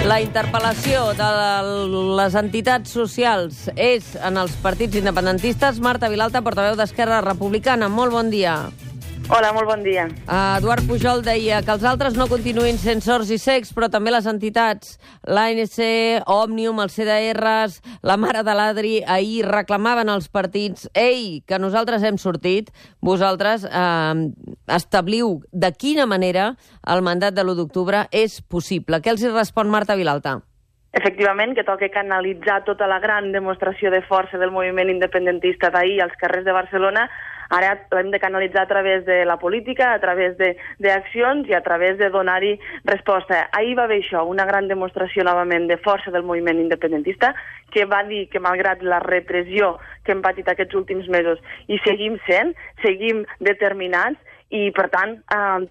La interpel·lació de les entitats socials és en els partits independentistes. Marta Vilalta, portaveu d'Esquerra Republicana. Molt bon dia. Hola, molt bon dia. Eduard Pujol deia que els altres no continuïn sent sords i cecs, però també les entitats, l'ANC, Òmnium, els CDRs, la mare de l'Adri, ahir reclamaven als partits: ei, que nosaltres hem sortit, vosaltres establiu de quina manera el mandat de l'1 d'octubre és possible. Què els hi respon Marta Vilalta? Efectivament, que toca canalitzar tota la gran demostració de força del moviment independentista d'ahir als carrers de Barcelona. Ara l'hem de canalitzar a través de la política, a través d'accions i a través de donar-hi resposta. Ahir va haver això, una gran demostració novament de força del moviment independentista, que va dir que malgrat la repressió que hem patit aquests últims mesos i seguim determinats, i, per tant,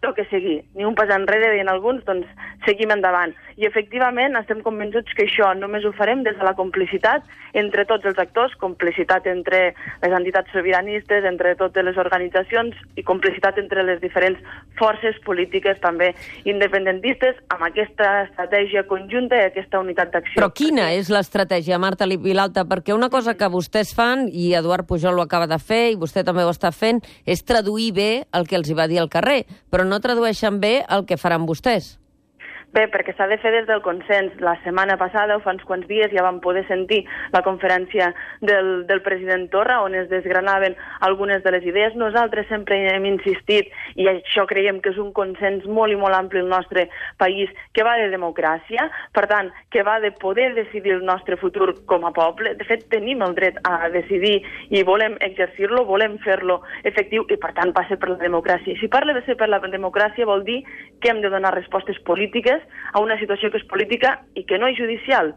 toca seguir. Ni un pas enrere, deien alguns, doncs seguim endavant. I, efectivament, estem convençuts que això només ho farem des de la complicitat entre tots els actors, complicitat entre les entitats sobiranistes, entre totes les organitzacions i complicitat entre les diferents forces polítiques, també independentistes, amb aquesta estratègia conjunta i aquesta unitat d'acció. Però quina és l'estratègia, Marta Vilalta? Perquè una cosa que vostès fan, i Eduard Pujol ho acaba de fer, i vostè també ho està fent, és traduir bé el que els hi va dir al carrer, però no tradueixen bé el que faran vostès. Bé, perquè s'ha de fer des del consens. La setmana passada, o fa uns quants dies, ja vam poder sentir la conferència del president Torra, on es desgranaven algunes de les idees. Nosaltres sempre hem insistit, i això creiem que és un consens molt i molt ampli al nostre país, que va de democràcia, per tant, que va de poder decidir el nostre futur com a poble. De fet, tenim el dret a decidir i volem exercir-lo, volem fer-lo efectiu, i per tant passa per la democràcia. I si parla de ser per la democràcia vol dir que hem de donar respostes polítiques a una situació que és política i que no és judicial,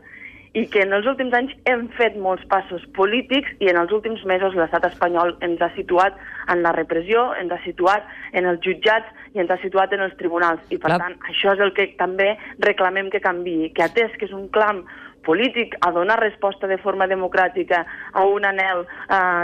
i que en els últims anys hem fet molts passos polítics i en els últims mesos l'estat espanyol ens ha situat en la repressió, ens ha situat en els jutjats i ens ha situat en els tribunals. I, per tant, això és el que també reclamem que canviï, que atès que és un clam polític a donar resposta de forma democràtica a un anhel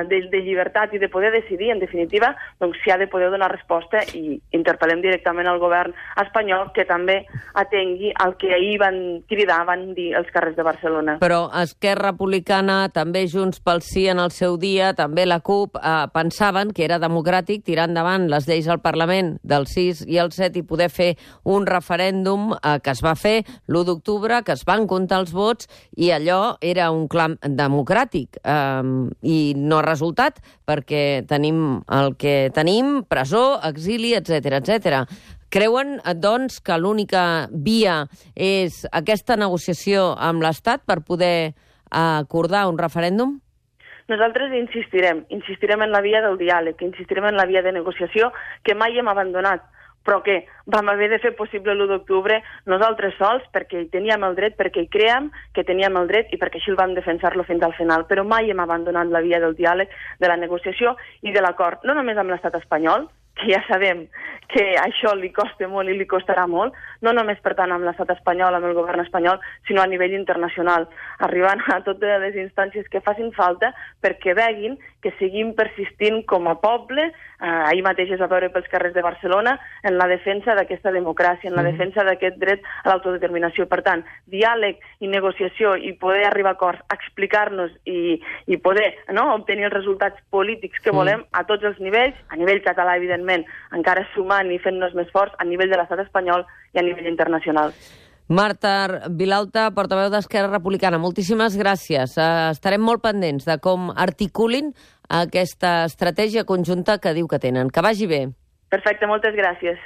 de llibertat i de poder decidir, en definitiva, doncs s'hi ha de poder donar resposta, i interpel·lem directament al govern espanyol que també atengui el que ahir van cridar, van dir els carrers de Barcelona. Però Esquerra Republicana, també Junts pel Sí en el seu dia, també la CUP, pensaven que era democràtic tirar endavant les lleis al Parlament del 6 i el 7 i poder fer un referèndum que es va fer l'1 d'octubre, que es van comptar els vots, i allò era un clam democràtic, i no ha resultat perquè tenim el que tenim, presó, exili, etc etc. Creuen, doncs, que l'única via és aquesta negociació amb l'Estat per poder acordar un referèndum? Nosaltres insistirem en la via del diàleg, insistirem en la via de negociació que mai hem abandonat, però que vam haver de fer possible l'1 d'octubre nosaltres sols, perquè hi teníem el dret, perquè hi creiem que teníem el dret i perquè així el vam defensar-lo fins al final. Però mai hem abandonat la via del diàleg, de la negociació i de l'acord, no només amb l'estat espanyol, que ja sabem que això li costa molt i li costarà molt, no només, per tant, amb l'estat espanyol, amb el govern espanyol, sinó a nivell internacional, arribant a totes les instàncies que facin falta perquè veguin que seguim persistint com a poble, ahir mateix es va veure pels carrers de Barcelona, en la defensa d'aquesta democràcia, en la defensa d'aquest dret a l'autodeterminació. Per tant, diàleg i negociació i poder arribar a acords, explicar-nos i poder obtenir els resultats polítics que volem a tots els nivells, a nivell català, evidentment, encara sumant i fent-nos més forts a nivell de l'estat espanyol i a nivell internacional. Marta Vilalta, portaveu d'Esquerra Republicana, moltíssimes gràcies. Estarem molt pendents de com articulin aquesta estratègia conjunta que diu que tenen. Que vagi bé. Perfecte, moltes gràcies.